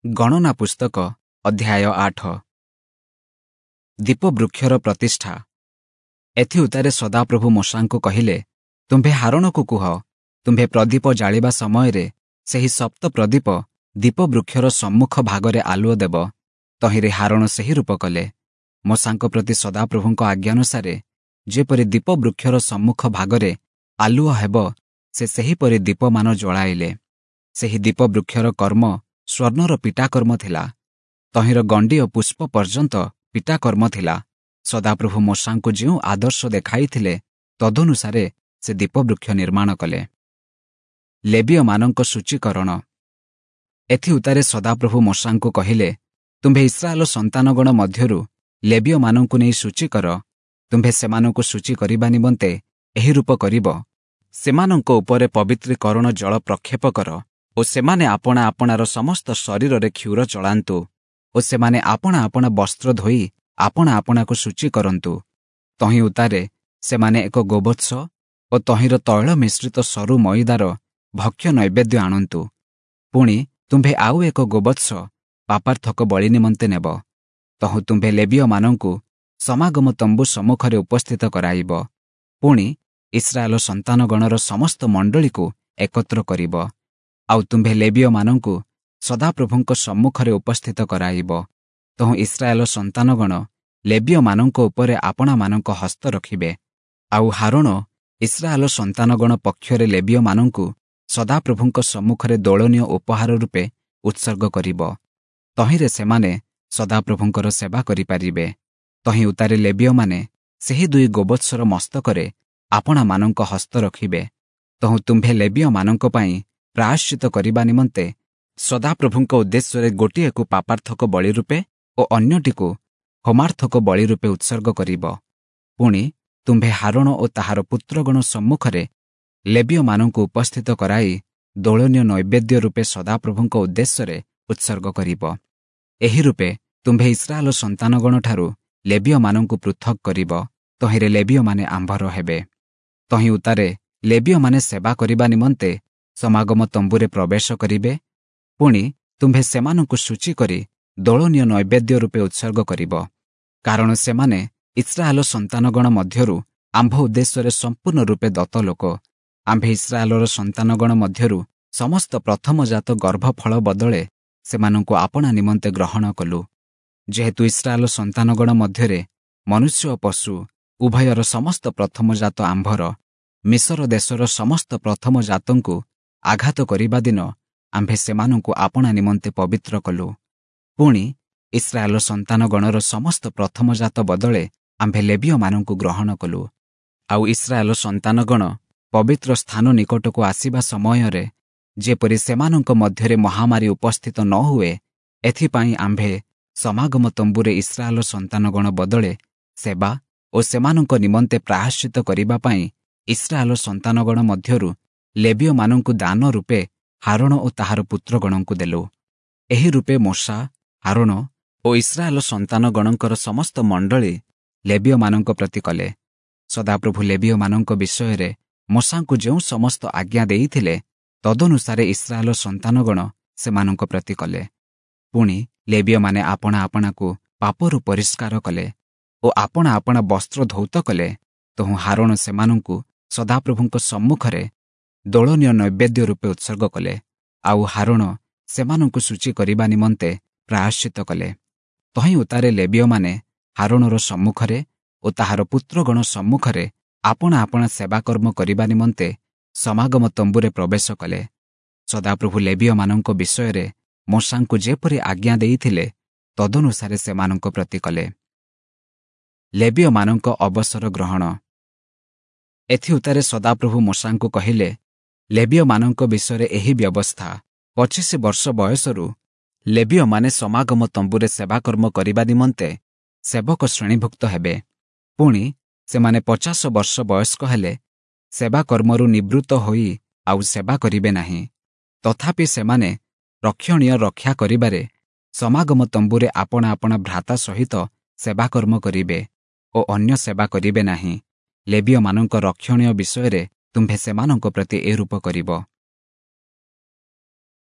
ଗଣନା ପୁସ୍ତକ ଅଧ୍ୟାୟ 8। ଦୀପବୃକ୍ଷର ପ୍ରତିଷ୍ଠା। ଏଥିଉତ୍ତାରେ ସଦାପ୍ରଭୁ ମୋଶାଙ୍କୁ କହିଲେ, ତୁମ୍ଭେ ହାରୋଣକୁ କୁହ, ତୁମ୍ଭେ ପ୍ରଦୀପ ଜାଳିବା ସମୟରେ ସେହି ସପ୍ତ ପ୍ରଦୀପ ଦୀପବୃକ୍ଷର ସମ୍ମୁଖ ଭାଗରେ ଆଲୁଅ ଦେବ। ତହିଁରେ ହାରୋଣ ସେହି ରୂପ କଲେ। ମୋଶାଙ୍କ ପ୍ରତି ସଦାପ୍ରଭୁଙ୍କ ଆଜ୍ଞାନୁସାରେ ଯେପରି ଦୀପବୃକ୍ଷର ସମ୍ମୁଖ ଭାଗରେ ଆଲୁଅ ହେବ, ସେ ସେହିପରି ଦୀପମାନ ଜଳାଇଲେ। ସେହି ଦୀପବୃକ୍ଷର କର୍ମ ସ୍ୱର୍ଣ୍ଣର ପିଟାକର୍ମ ଥିଲା। ତହିଁର ଗଣ୍ଡି ଓ ପୁଷ୍ପ ପର୍ଯ୍ୟନ୍ତ ପିଟାକର୍ମ ଥିଲା। ସଦାପ୍ରଭୁ ମୋଶାଙ୍କୁ ଯେଉଁ ଆଦର୍ଶ ଦେଖାଇଥିଲେ, ତଦନୁସାରେ ସେ ଦୀପବୃକ୍ଷ ନିର୍ମାଣ କଲେ। ଲେବୀୟମାନଙ୍କ ସୂଚୀକରଣ। ଏଥିଉତ୍ତାରେ ସଦାପ୍ରଭୁ ମୋଶାଙ୍କୁ କହିଲେ, ତୁମ୍ଭେ ଇସ୍ରାଏଲ ସନ୍ତାନଗଣ ମଧ୍ୟରୁ ଲେବୀୟମାନଙ୍କୁ ନେଇ ସୂଚୀ କର। ତୁମ୍ଭେ ସେମାନଙ୍କୁ ସୂଚୀ କରିବା ନିମନ୍ତେ ଏହି ରୂପ କରିବ। ସେମାନଙ୍କ ଉପରେ ପବିତ୍ରୀକରଣ ଜଳ ପ୍ରକ୍ଷେପ କର ଓ ସେମାନେ ଆପଣା ଆପଣାର ସମସ୍ତ ଶରୀରରେ କ୍ଷୁର ଚଳାନ୍ତୁ ଓ ସେମାନେ ଆପଣା ଆପଣା ବସ୍ତ୍ର ଧୋଇ ଆପଣା ଆପଣାକୁ ସୂଚୀ କରନ୍ତୁ। ତହିଁ ଉତ୍ତାରେ ସେମାନେ ଏକ ଗୋବତ୍ସ ଓ ତହିଁର ତୈଳ ମିଶ୍ରିତ ସରୁ ମଇଦାର ଭକ୍ଷ୍ୟ ନୈବେଦ୍ୟ ଆଣନ୍ତୁ। ପୁଣି ତୁମ୍ଭେ ଆଉ ଏକ ଗୋବତ୍ସ ପାପାର୍ଥକ ବଳି ନିମନ୍ତେ ନେବ। ତହୁଁ ତୁମ୍ଭେ ଲେବୀୟମାନଙ୍କୁ ସମାଗମ ତମ୍ବୁ ସମ୍ମୁଖରେ ଉପସ୍ଥିତ କରାଇବ। ପୁଣି ଇସ୍ରାଏଲ ସନ୍ତାନଗଣର ସମସ୍ତ ମଣ୍ଡଳୀକୁ ଏକତ୍ର କରିବ। ଆଉ ତୁମ୍ଭେ ଲେବୀୟମାନଙ୍କୁ ସଦାପ୍ରଭୁଙ୍କ ସମ୍ମୁଖରେ ଉପସ୍ଥିତ କରାଇବ। ତହୁଁ ଇସ୍ରାଏଲ ସନ୍ତାନଗଣ ଲେବୀୟମାନଙ୍କ ଉପରେ ଆପଣାମାନଙ୍କ ହସ୍ତ ରଖିବେ। ଆଉ ହାରୋଣ ଇସ୍ରାଏଲ ସନ୍ତାନଗଣ ପକ୍ଷରେ ଲେବୀୟମାନଙ୍କୁ ସଦାପ୍ରଭୁଙ୍କ ସମ୍ମୁଖରେ ଦୋଳନୀୟ ଉପହାର ରୂପେ ଉତ୍ସର୍ଗ କରିବ। ତହିଁରେ ସେମାନେ ସଦାପ୍ରଭୁଙ୍କର ସେବା କରିପାରିବେ। ତହିଁ ଉତ୍ତାରେ ଲେବୀୟମାନେ ସେହି ଦୁଇ ଗୋବତ୍ସର ମସ୍ତକରେ ଆପଣାମାନଙ୍କ ହସ୍ତ ରଖିବେ। ତହୁଁ ତୁମ୍ଭେ ଲେବୀୟମାନଙ୍କ ପାଇଁ ପ୍ରାୟଶ୍ଚିତ କରିବା ନିମନ୍ତେ ସଦାପ୍ରଭୁଙ୍କ ଉଦ୍ଦେଶ୍ୟରେ ଗୋଟିଏକୁ ପାପାର୍ଥକ ବଳି ରୂପେ ଓ ଅନ୍ୟଟିକୁ ହୋମାର୍ଥକ ବଳି ରୂପେ ଉତ୍ସର୍ଗ କରିବ। ପୁଣି ତୁମ୍ଭେ ହାରୋଣ ଓ ତାହାର ପୁତ୍ରଗଣ ସମ୍ମୁଖରେ ଲେବୀୟମାନଙ୍କୁ ଉପସ୍ଥିତ କରାଇ ଦୋଳନୀୟ ନୈବେଦ୍ୟ ରୂପେ ସଦାପ୍ରଭୁଙ୍କ ଉଦ୍ଦେଶ୍ୟରେ ଉତ୍ସର୍ଗ କରିବ। ଏହି ରୂପେ ତୁମ୍ଭେ ଇସ୍ରାଏଲ ସନ୍ତାନଗଣଠାରୁ ଲେବୀୟମାନଙ୍କୁ ପୃଥକ୍ କରିବ। ତହିଁରେ ଲେବୀୟମାନେ ଆମ୍ଭର ହେବେ। ତହିଁ ଉତ୍ତାରେ ଲେବୀୟମାନେ ସେବା କରିବା ନିମନ୍ତେ ସମାଗମ ତମ୍ବୁରେ ପ୍ରବେଶ କରିବେ। ପୁଣି ତୁମ୍ଭେ ସେମାନଙ୍କୁ ସୂଚୀ କରି ଦୋଳନୀୟ ନୈବେଦ୍ୟ ରୂପେ ଉତ୍ସର୍ଗ କରିବ। କାରଣ ସେମାନେ ଇସ୍ରାଏଲ ସନ୍ତାନଗଣ ମଧ୍ୟରୁ ଆମ୍ଭ ଉଦ୍ଦେଶ୍ୟରେ ସମ୍ପୂର୍ଣ୍ଣ ରୂପେ ଦତ୍ତ ଲୋକ। ଆମ୍ଭେ ଇସ୍ରାଏଲର ସନ୍ତାନଗଣ ମଧ୍ୟରୁ ସମସ୍ତ ପ୍ରଥମଜାତ ଗର୍ଭଫଳ ବଦଳେ ସେମାନଙ୍କୁ ଆପଣା ନିମନ୍ତେ ଗ୍ରହଣ କଲୁ। ଯେହେତୁ ଇସ୍ରାଏଲ ସନ୍ତାନଗଣ ମଧ୍ୟରେ ମନୁଷ୍ୟ ଓ ପଶୁ ଉଭୟର ସମସ୍ତ ପ୍ରଥମଜାତ ଆମ୍ଭର, ମିଶର ଦେଶର ସମସ୍ତ ପ୍ରଥମଜାତଙ୍କୁ ଆଘାତ କରିବା ଦିନ ଆମ୍ଭେ ସେମାନଙ୍କୁ ଆପଣା ନିମନ୍ତେ ପବିତ୍ର କଲୁ। ପୁଣି ଇସ୍ରାଏଲ ସନ୍ତାନଗଣର ସମସ୍ତ ପ୍ରଥମଜାତ ବଦଳେ ଆମ୍ଭେ ଲେବୀୟମାନଙ୍କୁ ଗ୍ରହଣ କଲୁ। ଆଉ ଇସ୍ରାଏଲ ସନ୍ତାନଗଣ ପବିତ୍ର ସ୍ଥାନ ନିକଟକୁ ଆସିବା ସମୟରେ ଯେପରି ସେମାନଙ୍କ ମଧ୍ୟରେ ମହାମାରୀ ଉପସ୍ଥିତ ନ ହୁଏ, ଏଥିପାଇଁ ଆମ୍ଭେ ସମାଗମ ତମ୍ବୁରେ ଇସ୍ରାଏଲ ସନ୍ତାନଗଣ ବଦଳେ ସେବା ଓ ସେମାନଙ୍କ ନିମନ୍ତେ ପ୍ରାୟଶ୍ଚିତ କରିବା ପାଇଁ ଇସ୍ରାଏଲ ସନ୍ତାନଗଣ ମଧ୍ୟରୁ ଲେବୀୟମାନଙ୍କୁ ଦାନ ରୂପେ ହାରୋଣ ଓ ତାହାର ପୁତ୍ରଗଣଙ୍କୁ ଦେଲୁ। ଏହି ରୂପେ ମୋଶା, ହାରୋଣ ଓ ଇସ୍ରାଏଲ ସନ୍ତାନଗଣଙ୍କର ସମସ୍ତ ମଣ୍ଡଳୀ ଲେବୀୟମାନଙ୍କ ପ୍ରତି କଲେ। ସଦାପ୍ରଭୁ ଲେବୀୟମାନଙ୍କ ବିଷୟରେ ମୋଶାଙ୍କୁ ଯେଉଁ ସମସ୍ତ ଆଜ୍ଞା ଦେଇଥିଲେ, ତଦନୁସାରେ ଇସ୍ରାଏଲ ସନ୍ତାନଗଣ ସେମାନଙ୍କ ପ୍ରତି କଲେ। ପୁଣି ଲେବୀୟମାନେ ଆପଣା ଆପଣାକୁ ପାପରୁ ପରିଷ୍କାର କଲେ ଓ ଆପଣା ଆପଣା ବସ୍ତ୍ର ଧୌତ କଲେ। ତହୁଁ ହାରୋଣ ସେମାନଙ୍କୁ ସଦାପ୍ରଭୁଙ୍କ ସମ୍ମୁଖରେ ଦୋଳନୀୟ ନୈବେଦ୍ୟ ରୂପେ ଉତ୍ସର୍ଗ କଲେ। ଆଉ ହାରୋଣ ସେମାନଙ୍କୁ ସୂଚୀ କରିବା ନିମନ୍ତେ ପ୍ରାୟଶ୍ଚିତ କଲେ। ତହିଁ ଉତ୍ତାରେ ଲେବୀୟମାନେ ହାରୋଣର ସମ୍ମୁଖରେ ଓ ତାହାର ପୁତ୍ରଗଣ ସମ୍ମୁଖରେ ଆପଣା ଆପଣା ସେବାକର୍ମ କରିବା ନିମନ୍ତେ ସମାଗମ ତମ୍ବୁରେ ପ୍ରବେଶ କଲେ। ସଦାପ୍ରଭୁ ଲେବୀୟମାନଙ୍କ ବିଷୟରେ ମୋଶାଙ୍କୁ ଯେପରି ଆଜ୍ଞା ଦେଇଥିଲେ, ତଦନୁସାରେ ସେମାନଙ୍କ ପ୍ରତି କଲେ। ଲେବୀୟମାନଙ୍କ ଅବସର ଗ୍ରହଣ। ଏଥିଉତ୍ତାରେ ସଦାପ୍ରଭୁ ମୋଶାଙ୍କୁ କହିଲେ, ଲେବୀୟମାନଙ୍କ ବିଷୟରେ ଏହି ବ୍ୟବସ୍ଥା, 25 ବର୍ଷ ବୟସରୁ ଲେବୀୟମାନେ ସମାଗମ ତମ୍ବୁରେ ସେବାକର୍ମ କରିବା ନିମନ୍ତେ ସେବକ ଶ୍ରେଣୀଭୁକ୍ତ ହେବେ। ପୁଣି ସେମାନେ 50 ବର୍ଷ ବୟସ୍କ ହେଲେ ସେବାକର୍ମରୁ ନିବୃତ୍ତ ହୋଇ ଆଉ ସେବା କରିବେ ନାହିଁ। ତଥାପି ସେମାନେ ରକ୍ଷଣୀୟ ରକ୍ଷା କରିବାରେ ସମାଗମ ତମ୍ବୁରେ ଆପଣା ଆପଣା ଭ୍ରାତା ସହିତ ସେବାକର୍ମ କରିବେ ଓ ଅନ୍ୟ ସେବା କରିବେ ନାହିଁ। ଲେବୀୟମାନଙ୍କ ରକ୍ଷଣୀୟ ବିଷୟରେ ତୁମ୍ଭେ ସେମାନଙ୍କ ପ୍ରତି ଏ ରୂପ କରିବ।